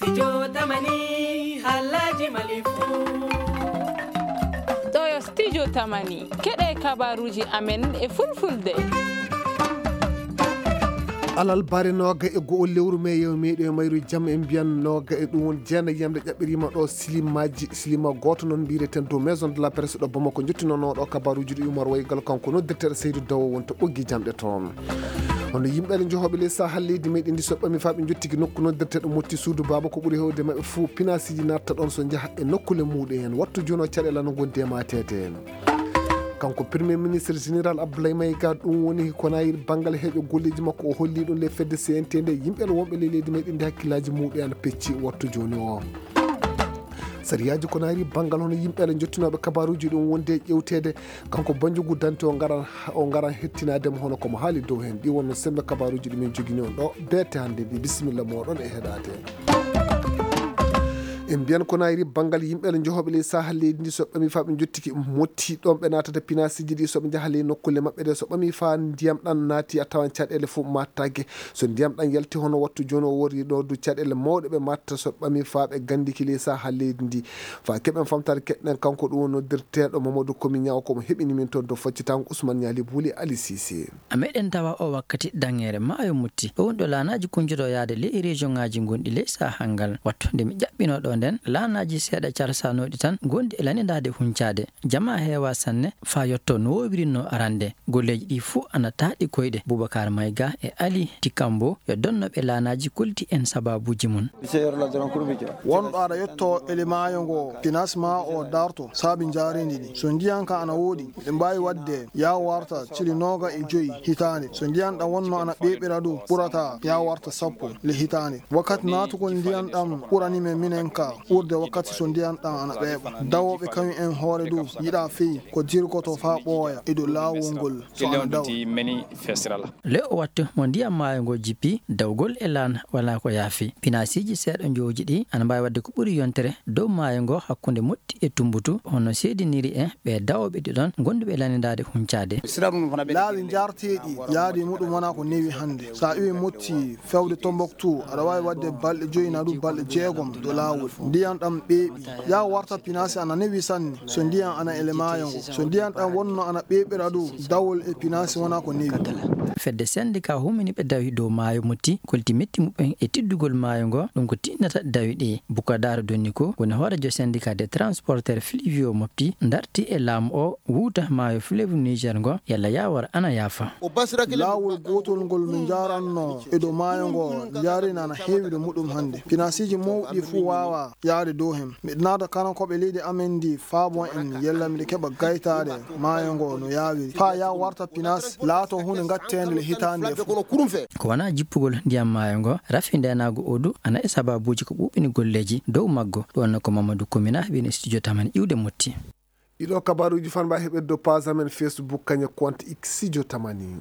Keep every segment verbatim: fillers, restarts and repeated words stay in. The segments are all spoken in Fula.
Studio Tamani, halaji malifu. Ɗo yo Studio Tamani, keɗe kabaruji amen e fulfulde. Alal bare nooga e go'o lewru me yew meɗo e mayru jam en mbiyan nooga e ɗum won jeenayi yamde ƴaɓɓirima ɗo silimaji, silima gooto noon mbiyeten dow Maison de la Presse ɗo Bamako, jottinoono ɗo kabaruji ɗi Umar Waygal, kanko noddirteɗo Seydou Dawo wonto ɓoggi jamɗe toon. Hono yimɓe ale jehooɓe ley sahal leydi meɗen ndi soɓɓami faa ɓe jottiki nokku noddirteɗo Motti suudu baaba, ko ɓuri hewde maɓɓe fuu pinasiji natta ɗon so njaha e nokkule muɗum en. Wattu jono caɗeele no gondi e mateede. Kanko Premier Ministre Général Abdoulaye Maïga, ɗum woni ko nayiri banngal heeƴo golleeji makko o holli ɗum le fedde C N T nde yimɓe wonɓe ley leydi meɗen ndi hakkillaaji muɗum ana pecci wattu jooni o. Sariyaaji ko nayiri banngal hono yimɓe ale jottinooɓe kabaruuji ɗum wonde ƴewteede, kanko Banjugu Dante o ngaran, o ngaran hettinaade mo hono ko mo haali dow heen. Ɗi wonno semmbe kabaruuji ɗi min jogini on ɗo beete hannde ndi. Bisimilla mooɗon e heɗaade. En mbiyan ko nayiri banngal yimɓe ale jehooɓe ley sahal leydi ndi so ɓami faa ɓe jottiki Motti ɗon ɓe naatata pinasiji ɗi so ɓe njaha ley nokkulle maɓɓe ɗe so ɓami faa ndiyam ɗan naati a tawan caɗeele fof mattaake. So ndiyam ɗan yalti hono wattu jooni o wori ɗo du caɗeele mawɗe ɓe matta so ɓami faa ɓe gandiki ley sahal leydi ndi. Faa keɓen famtare keɗɗen kanko ɗum woni noddirteeɗo Mamadou Komi Ñaw ko mo heɓini min toon to faccitango Ousmane Ñaali Buuli Ali Sise. A meɗen tawa o wakkati daŋŋeere maayo Motti. Ɗo woni ɗo laanaaji kuncotoo yaade ley rejoŋaaji gonɗi ley sahal ngal. Wattu nde mi ƴaɓɓinoo ɗo nden, laanaaji seeɗa calsanooɗi tan gonɗi e lanindaade huncaade. Jamaa heewaa sanne faa yottoo no woowirinno arande. Golleeji ɗi fuu ana taaɗi koyɗe. Bubakar Mayga e Ali Tikambo yo donnoɓe laanaaji kolliti en sababuuji mun. Wonɗo aɗa yetto ele maayo ngo, financement o darto saabi njaareendi ndi. So ndiyan ka ana woodi, miɗen mbaawi waɗde yaa warta cili nooga e joyi hitaande. So ndiyan ɗan wonno ana ɓeeɓira ɗum, ɓurata yaa warta sappo le hitaande. Wakkati naatugol ndiyan ɗan ɓurani men minen ka ɓurde wakkati so ndiyan ɗan ana ɓeeɓa. Dawooɓe kañum en hoore ɗum yiɗa fey ko dirgoto faa ɓooya e dow laawol ngol so ana dawa. Le o wattu mo ndiyan maayo ngo jippi, dawgol e laan walaa ko yaafi. Pinasiiji seeɗa njooji ɗi ana mbaawi waɗde ko ɓuri yontere dow maayo ngo hakkunde Motti e Tumbutu, hono seediniri en ɓe dawooɓe ɗi ɗon gonduɓe lanindaade huncaade. Laawi njaarteeɗi yaade muɗum wonaa ko newi hannde. So a iwi Motti fewde Tombouctou, aɗa waawi waɗde balɗe joyi naa ɗum balɗe jeegom dow laawol. Ndiyan ɗan ɓeeɓi. Yaa warta pinasi ana newi sanne. So ndiyan ana ele maayo ngo. So ndiyan ɗan wonno ana ɓeeɓira ɗum, dawol e pinasi wonaa ko newi. Fedde sendika humini ɓe dawi dow maayo Motti, kolti metti muɓɓen e tiddugol maayo ngo, ɗum ko tinnata dawi ɗi. Bukadar Donniko woni hoorejo sendika des transporteurs fluviaux Motti, darti e laamu o wuuta maayo fleuve Niger ngo, yalla yaawar ana yaafa. Laawol gootol ngol min njaaranno e dow maayo ngo, njaarina ana heewi ɗo muɗum hannde. Pinasiiji mawɗi fuu waawa yaade dow hen. Miɗo naada kanankooɓe leydi amen ndi faabo en yalla miɗo keɓa gaytaade maayo ngo no yaawiri. Faa yaa warta pinas laato huunde ngatteende le hitaande e fof. Ko wonaa jippugol ndiyam maayo ngo, rafi ndeenaagu o du ana e sababuuji ko ɓuuɓini golleeji dow maggo. Ɗum wonno ko Mamadou Komina heɓini studio Tamani iwde Motti. Ɗiɗo kabaruuji fan mba heɓirde page amen Facebook kañe compte X Studio Tamani.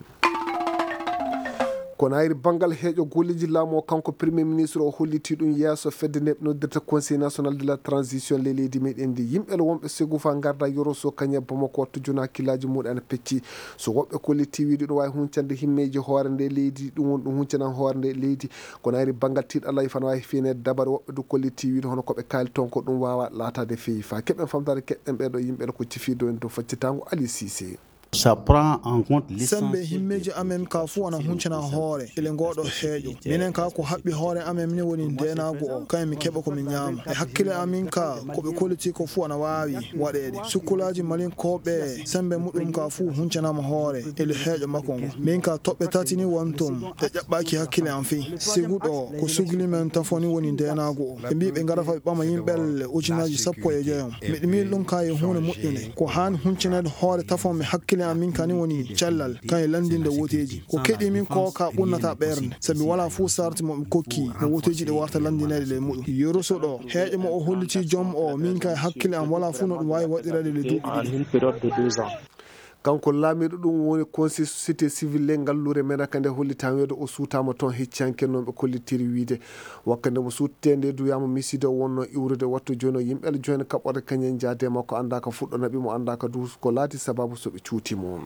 Ko nayri banngal heeƴo golleeji laamu o, kanko Premier Ministre o holliti ɗum yeeso fedde nde ɓe noddirta Conseil National de la Transition ley leydi meɗen ndi. Yimɓe le wonɓe segu fa ngarda yoro so kañe Bamako wattu jona hakkillaaji muɗum ana pecci. So woɓɓe kolliti wiide ɗum waawi huncande himmeeji hoore nde leydi, ɗum woni ɗum huncanan hoore nde leydi. Ko nayri banngal tiiɗalla fana waawi fiineede dabare woɓɓe du kolliti wiide hono ko ɓe kaali toon ko ɗum waawa laataade feewi. Fa keɓen famtaade keɗɗen ɓee ɗo yimɓe le ko cifi dow en dow faccitaango Ali Sise. Ça prend en compte sembe l'essentiel himmeeji amen ka fuu ana huncana hoore ele ngooɗo heeƴo. Minen ka ko haɓɓi hoore amen minen woni ndeenaagu o, kayen mi keɓa ko mi ñaama. E hakkile amin ka ko ɓe kolliti ko fuu ana waawi waɗeede. Sukkulaaji malinkooɓe sembe muɗum ka fuu huncanaama hoore ele heeƴo makko ngo. Min ka toɓɓe tati ni wontum ɗe ƴaɓɓaaki hakkile am fii. Siguɗo ko sugli men tafo ni woni ndeenaagu o. Ɓe mbii ɓe ngara fa ɓe ɓama yimɓe le ujunaaji sappo e joyo. Miɗo miili ɗum ka e huunde moƴƴunde. Ko haani huncineede hoore tafon mi hakkile am min kani woni cellal, kan e lanndinde woteeji. Ko keɗii min ko ka ɓunnata ɓernde, sabi walaa fuu sarti mo ɓe kokki no woteeji ɗi warta lanndineede ley muɗum. Yoroso ɗo, heeƴo mo o holliti joom o, min ka e hakkile am walaa fuu no ɗum waawi waɗireede ley duuɓi ɗiɗi. Kanko laamiiɗo ɗum woni conseil société civile ley ngalluure men, ka nde hollitaa weedo o suutaama toon hecciyanke noon ɓe kollitiri wiyde. Wakkati mo suuttee nde duyaama miside o wonnoo iwrude wattu jooni o yimɓe jooni kaɓɓorde kañen njaade makko anndaa ka fuɗɗo naɓi mo anndaa ka duus ko laati sababu so ɓe cuuti mo.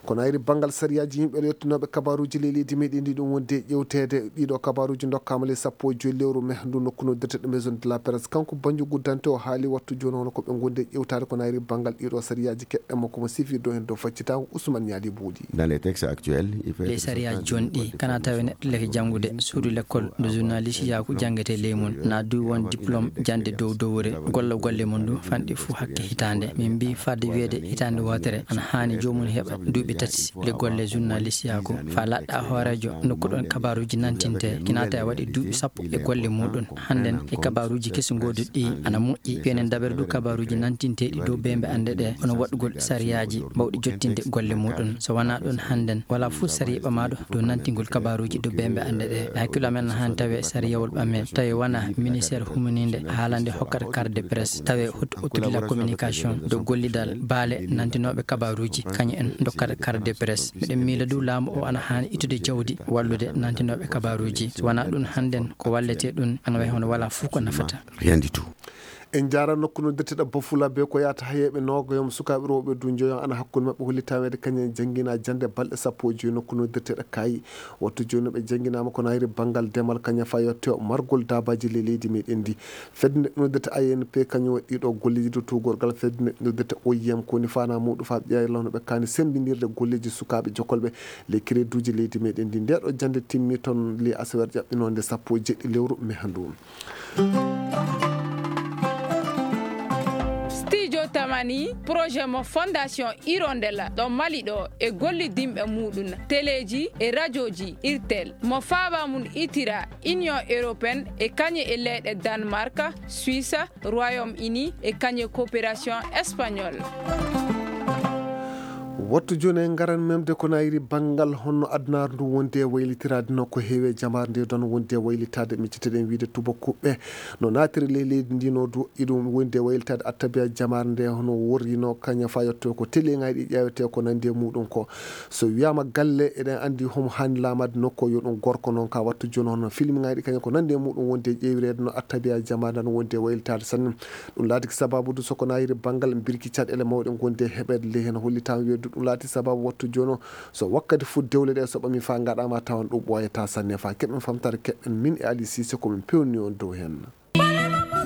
Kono ayri banngal sariyaaji yimɓe yottinooɓe kabaruuji ley leydi meɗen ndi ɗum wonde ƴewteede ɗiɗo kabaruuji ndokkaama ley sappo e joyi lewru me ndu nokku noddirte ɗo maison de la presse. Kanko Banjo Guddante o haali wattu jooni hono ko ɓe ngondi e ƴewtaade kono ayri banngal ɗiɗo sariyaaji keɓɓe makko mo sifirɗo heen dow faccitaango Ousmane Ñaali Buuɗi. Dans les textes actuels, il faut ley être sariyaaji jooni ɗi kana tawe neɗɗo leke janngude suudu lekkol nde journaliste yaaku janngete ley mum na du won diplôme jannde dow dowre golla golle mum du fanɗi fuu hakke hitaande. Min mbi fadde wiyeede hitaande wootere ana haani joomum heɓa duuɓi tati le golle journaliste yaaku fa laɗɗa hooreejo nokkuɗon kabaruuji nantinte kinaata e waɗi duuɓi sappo e golle muɗum. Hannden e kabaruuji kesi ngoduɗi ana moƴƴi penen dabere du kabaruuji nantinteeɗi dow bembe annde ɗe hono waɗugol sariyaaji bawɗi jottinde golle muɗum. So wanaa ɗum hannden wala fuu sariya ɓamaaɗo dow nantingol kabaruuji dow bembe annde ɗe. Hakkilo amen na haani tawe sariyawol ɓame tawi wona ministère humininde haalande hokkata carte de presse tawe hot autour de la communication dow gollidal baale nantinooɓe kabaruuji kañum en dokkata carte de presse. Miɗen miila du laamu o ana haani ittude jawdi wallude nantinooɓe kabaruuji. So wanaa ɗum hannden ko wallete ɗum ana wayi hono wala fuu ko nafata. Rien du tout. En njaara nokku no detteɗa Bafula be ko yaata hayeeɓe noogayo mo sukaaɓe rewɓe du njoyon ana hakkunde maɓɓe holli taweede kañum en janngina jannde balɗe sappo e joyi nokku no detteɗa Kaayi. Wattu jooni ɓe jannginaama ko nayri banngal demal kañum fa yotte margol daabaaji ley leydi meɗen ndi. Fedde nde noddete A N P kañum waɗi ɗo golleeji dow tuugorgal fedde nde noddete O I M ko woni faanaa muuɗum fa ɓiyaye lawno ɓe kaani semmbindirde golleeji sukaaɓe jokolɓe ley kireduuji leydi meɗen ndi. Nde ɗo jannde timmi toon ley asewer ƴaɓɓinoonde sappo e jeɗɗi lewru me handu. Studio Tamani, projet mo Fondation Hirondella ɗo Mali ɗo e gollidinɓe muɗum, teleeji e rajooji Irtel, mo faaba mum itira Union Européenne e kañe e leyɗe Danemark, Suisse, Royaume-Uni e kañe coopération espagnol. Wattu jooni en ngaran memde ko nayri banngal honno adunaaru ndu wondi e waylitiraade no ko heewi e jamaare nde don wondi e waylitaade micciteɗen wiide tubakuɓe no naatiri ley leydi ndi no du iɗum wondi e waylitaade attabiya jamaare nde hono worrino kaña fa yetto ko teliŋaaji ɗi ƴeewete ko nandi e muɗum ko so wiyaama galle eɗen anndi homo haani laamaade nokku yo ɗum gorko noon ka wattu jooni hono filmŋaaji ɗi kañum ko nandi e muɗum wondi e ƴeewireede no attabiya jamaare nde no wondi e waylitaade sanne. Ɗum laatiki sababu du so ko nayiri banngal mbirki caɗeele mawɗe ngondi e heɓeede ley heen hollitaama wiyeede ɗum laati sababu wattu jooni o so wakkati fof dewle ɗe so ɓami faa ngaɗaama tawan ɗum ɓooyataa sanne faa keɓen famtaare keɓen min e Ali Cissé ko min pewni on dow heen.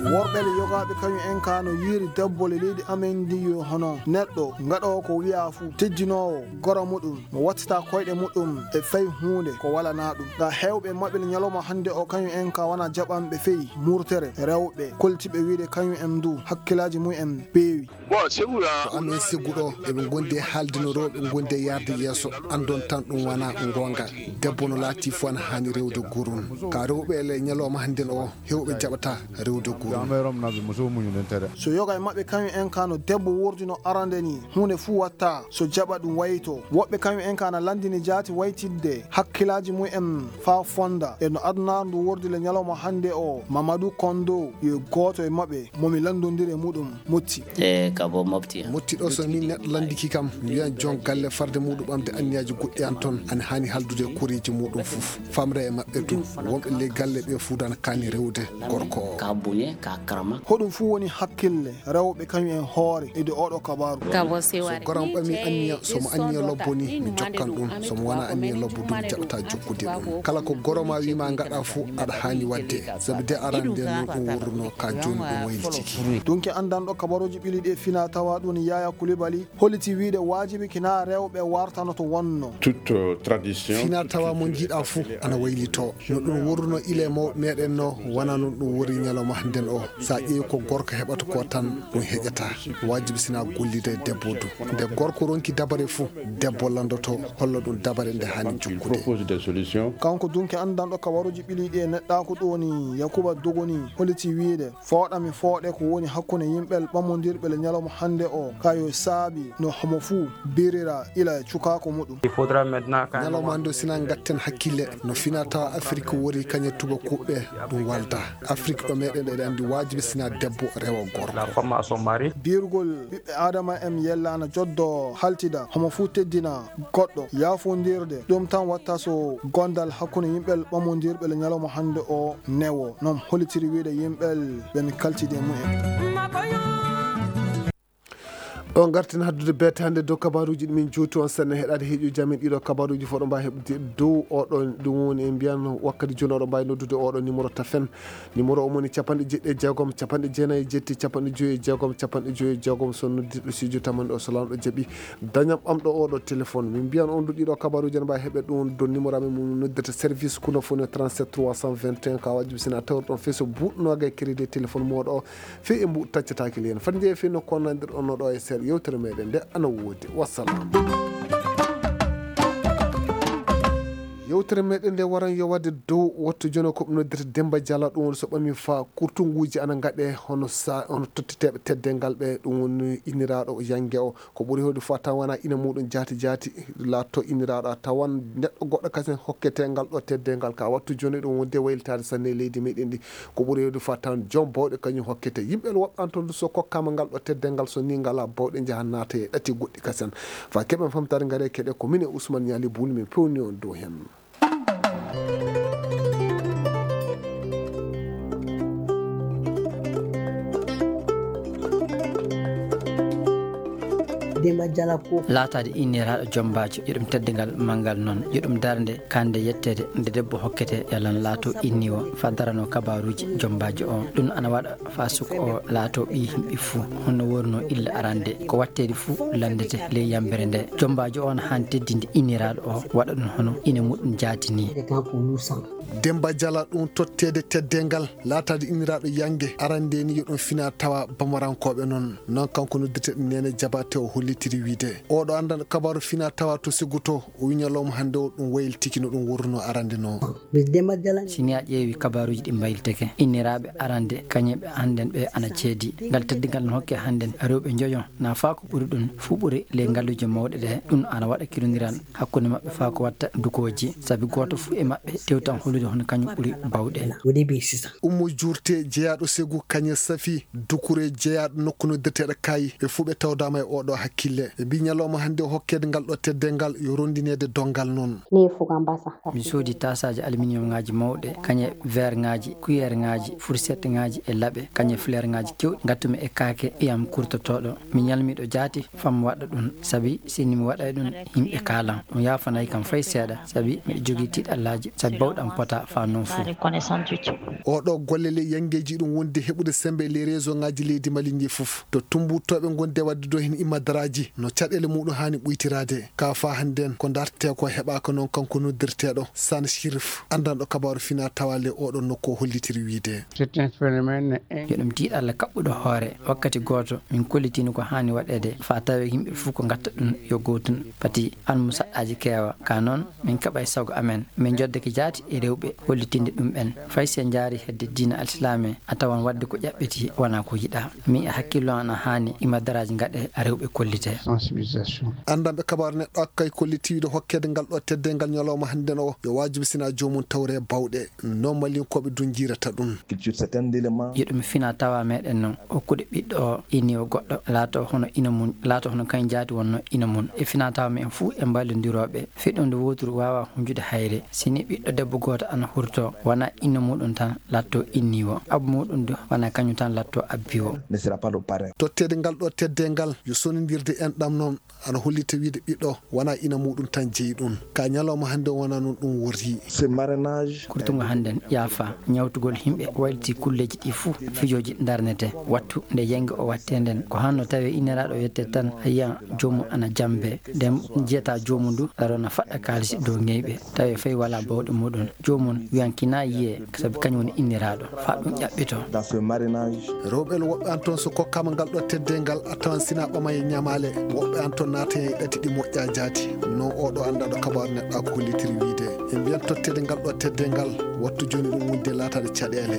Worɓe le yogaaɓe kañum en ka no yiiri debbo le leydi amen ndi yo hono neɗɗo ngaɗoowo ko wiyaa fuu tejjinoowo goro muɗum mo wattita koyɗe muɗum e fay huunde ko walanaa ɗum. Nga heewɓe maɓɓe le ñalawma hannde o kañum en ka wona jaɓanɓe fey murtere rewɓe koltiɓe wiide kañum en ndu hakkilaaji mum en peewi. Ko amen sigu ɗo eɓe ngondi e haalde no rewɓe ngondi e yaarde yeeso anndon tan ɗum wona goonga. Debbo no laati fof ana haani rewde gurum ka rewɓe ele ñalawma hannden o hewɓe jaɓata rewde gurum. So yoga e maɓɓe kañum en ka no debbo wurdi no arande ni huunde fuu watta so jaɓa ɗum wayto woɓɓe kañum en ka na lanndini jaati waytidde hakkilaaji mum en faa fonda e no adunaaru ndu wordi le ñalawma hannde o. Mamadou Kondo yo gooto e maɓɓe mo mi lanndondiri e muɗum motti. E kabo mofti. Motti ɗo so min neɗɗo lanndiki kam mi wiyan jon galle farde muɗum ɓamde anniyaaji goɗɗi an toon ana haani haldude e koreeji muɗum fof famra e maɓɓe du wonɓe ley galle ɓe fuu dana kaani rewde gorko o. Ka buñe ka karama. Hoɗum fuu woni hakkille rewɓe kañum en hoore e de oɗo kabaru. So goram ɓami anniya somo anniya lobbo ni mi jokkan ɗum somo wona anniya lobbo du mi jaɓata jokkude ɗum kala ko goroma wima gaɗa fuu aɗa haani wadde sabu de aran nden no ɗum wurruno ka joni ɗum waylitiki. Dunke anndanɗo kabaruuji ɓili ɗi e fina tawa ɗum Yaya Kulibali holliti wiide waajibi kina rewɓe wartanoto wonno. Toute tradition fina tawa mo jiiɗa fuu ana waylito no ɗum wurruno ile mawɓe meɗen no wona non ɗum wori ñalawma hannden o. Sa ƴeewi ko gorko heɓata ko tan ɗum heƴata. Waajibi sina gollida e debbo du nde gorko ronki dabare fuu debbo landoto holla ɗum dabare nde haani jokkude. Kanko dunke anndanɗo kabaruuji ɓili ɗi e neɗɗaaku ɗo ni Yakuba Dogoni holliti wiide fooɗa mi fooɗe ko woni hakkunde yimɓe ɓamondirɓe le ñalawma hannde o ka yo saabi no homo fuu birira ila e cukaaku muɗum. Ñalawma hannde o sina gatten hakkille no fina tawa Afrik wori kañe tubakuɓe ɗum walda. Afrik ɗo meɗen eɗen Waajibi sina debbo rewa gorko. La femme à son mari. Biirgol ɓiɓɓe Aadama en yellaana joddo haltida, homo fuu teddina goɗɗo. Yaafondirde ɗum tan watta so gondal hakkunde yimɓe ɓamondirɓe le ñalawma hannde o newo. Noon hollitiri wiyde yimɓe ɓen kaltide mumen. Ɗo ngarten haddude beete hannde dow kabaruuji ɗi min juuti on seɗɗa heɗaade heeƴuji amen ɗiɗo kabaruuji fof ɗo mbaawi heɓde dow oɗo ɗum woni e mbiyan wakkati jooni oɗo mbaawi noddude oɗo numéro tafen. Numéro o woni capanɗe jeeɗiɗi e jeegom, capanɗe jeenayi e jeeɗiɗi, capanɗe joyi e jeegom, capanɗe joyi e jeegom. So noddirɗo studio tamanɗo o so laamɗo jaɓi dañam ɓamɗo oɗo téléphone. Min mbiyan on ɗo ɗiɗo kabaruuji ene mbaawi heɓe ɗum ɗo numéro amen mo noddata service kuno fof no trente-sept trois cent vingt et un ka wajibi sina tawr ɗon feso buuɗnoga e crédit téléphone moɗo o. Fii e mbuuɗu taccataake leen. Fati njeeya fii no konnandirɗon no ɗo e seeɗa yewtere meɗen nde ana woodi. Wassalam. Yewtere meɗen nde waran yo wadde dow wattu jono ko noddirta Demba Jala, ɗum woni so ɓami fa kurtunguuji ana ngaɗe hono sa, hono tottiteeɓe teddengal ɓe, ɗum woni inniraaɗo Yange o. Ko ɓuri heewde fof a tawan wona ina muɗum jaati jaati laatto inniraaɗo, a tawan neɗɗo goɗɗo kasen hokkete ngal ɗo teddengal ka wattu jooni ɗum wonde waylitaade sanne e leydi meɗen ndi. Ko ɓuri heewde fof a tawan joom bawɗe kañum hokkete. Yimɓe ene woɓɓe an toon so kokkaama ngal ɗo teddengal so ni ngala bawɗe njaha naata e ɗati goɗɗi kasen. Fa keɓen famtaade ngare keɗe ko min e Ousmane Niali Bouli min pewni on dow hen. Demba Jala ko laataade inniraaɗo jombaajo, yo ɗum teddingal manngal noon, yo ɗum darnde kande yetteede nde debbo hokkete yalan laato inniwo fa darano kabaruuji jombaajo o. Ɗum ana waɗa fa suko o laato ɓii yimɓe fuu, hono wonno illa arande ko watteede fuu lanndete ley yambere nde. Jombaajo o na haani teddinde inniraaɗo o, waɗa ɗum hono ina muɗum jaati ni. Demba Jala ɗum totteede teddengal, laataade inniraaɗo Yange, arande ni yo ɗum fina tawa bamarankooɓe noon. Noon kanko noddirteɗo Nene Jabate o hollitiri wiide, oɗo anndan kabaru fina tawa to Seguto, o wi ñalawma hannde o ɗum waylitiki no ɗum wurno arande noon. Si ni a ƴeewi kabaruuji ɗi mbaylitake, inniraaɓe arande, kañe ɓe hannden ɓe ana ceedi. Ngal teddingal no hokke hannden rewɓe njoyo, na faa ko ɓuri ɗum, fuu ɓuri ley ngalluuje mawɗe ɗe. Ɗum ana waɗa kirondiral hakkunde maɓɓe faa ko watta dukooji, sabi gooto fuu e maɓɓe tewtan hollude hono kañum ɓuri bawɗe. Ummo Juurte, jeyaaɗo Segu, kañe Safi, Dukure, jeyaaɗo nokku noddirteeɗo Kaayi, ɓe fuu ɓe tawdaama e oɗo hakkille. Ɓe mbii ñalawma hannde o hokkeede ngal ɗo teddengal yo ronndineede donngal noon. Mi soodi taasaaji aluminium ŋaaji mawɗe, kañe verre ŋaaji, cuillère ŋaaji, fourchette ŋaaji e laɓe, kañe fleur ŋaaji keewɗi, ngattumi e kaake ɓiyam kurtotooɗo. Mi ñalmiiɗo jaati fam waɗa ɗum, sabi sinno mi waɗay ɗum, yimɓe kaalan. Ɗum yaafanay kam fay seeɗa, sabi miɗo jogii tiiɗallaaji, sabi bawɗam pota faa noon fuu. Oɗo golle ley yangeeji ɗum wonde heɓude sembe ley réseau ŋaaji leydi Mali ndi fof. To tumbuttooɓe ngonde waɗde ɗo heen imadaraaji, no caɗeele muɗum haani ɓuytiraade. Ka faa hannden, ko dartee ko heɓaaka noon kanko noddirteeɗo Sane Chérif, anndanɗo kabaaru fina tawa ley oɗo nokku o hollitiri wiide. C'est un phénomène in- Yo ɗum tiiɗalla kaɓɓuɗo hoore. Wakkati gooto, min kollitini ko haani waɗeede, faa tawee yimɓe fof ko ngatta ɗum yo gootun. Pati an mo saɗɗaaji keewa. Ka noon, min kaɓay sago amen. Min njoddake jaati e rewɓe hollitinde ɗum ɓen. Fay si en njaari hedde diina alsilaame, a tawan waɗde ko ƴaɓɓiti wonaa ko yiɗaa. Min e hakkillo an a haani imadaraaji ngaɗe rewɓe kollite. Sensibilisation. Anndanɓe kabaaru neɗɗo akkay kolliti wiide hokkeede ngal ɗo teddengal ñalawma hannden o yo waajibi sina joomum tawre bawɗe. No Malinkooɓe du njiirata ɗum. Culture, c'est un élément. Yo ɗum fina tawa meɗen noon. Okkude ɓiɗɗo o iniwo goɗɗo laato hono ina mun, laato hono kañ jaati wonno ina mun. E fina tawa men fuu e mballondirooɓe. Feɗɗunde wooturu waawaa hunjude hayre. Si ni ɓiɗɗo debbo gooto ana hurtoo, wonaa inna muɗum tan laatto inniwo. Abbo muɗum du, wonaa kañum tan laatto abbiwo. Ne sera pas le parrain. Totteede ngal ɗo teddengal, yo sonondirde enɗam noon, ana hollita wiide ɓiɗɗo, wonaa ina muɗum tan jeyi ɗum. Ka ñalawma hannde wonaa noon ɗum worri. Ce marrainage. Kurtungo hannden, yaafa, ñawtugol yimɓe, wayliti kulleeji ɗi fuu, fijooji darnete. Wattu nde yange o wattee nden, ko hanno tawee inniraaɗo o yette tan, a yiyan joomum ana jambe. Nden jiyata joomum du, laro na faɗɗa kaalisi dow ŋeyɓe. Tawi fay walaa bawɗe muɗum. Joomum wiyan kinaa yiyee, sabi kañum woni inniraaɗo. Faa ɗum ƴaɓɓitoo. Dans ce marrainage. Rewɓe woɓɓe an toon so kokkaama ngal ɗo teddeengal, a tawan sina ɓama e ñamaale. Woɓɓe an toon naata e ɗati ɗi moƴƴaa jaati. No oɗo anndaɗo kabaaru neɗɗo ko hollitiri wiide. E mbiyan totteede ngal ɗo teddeengal, wattu jooni ɗum wonde laataade caɗeele.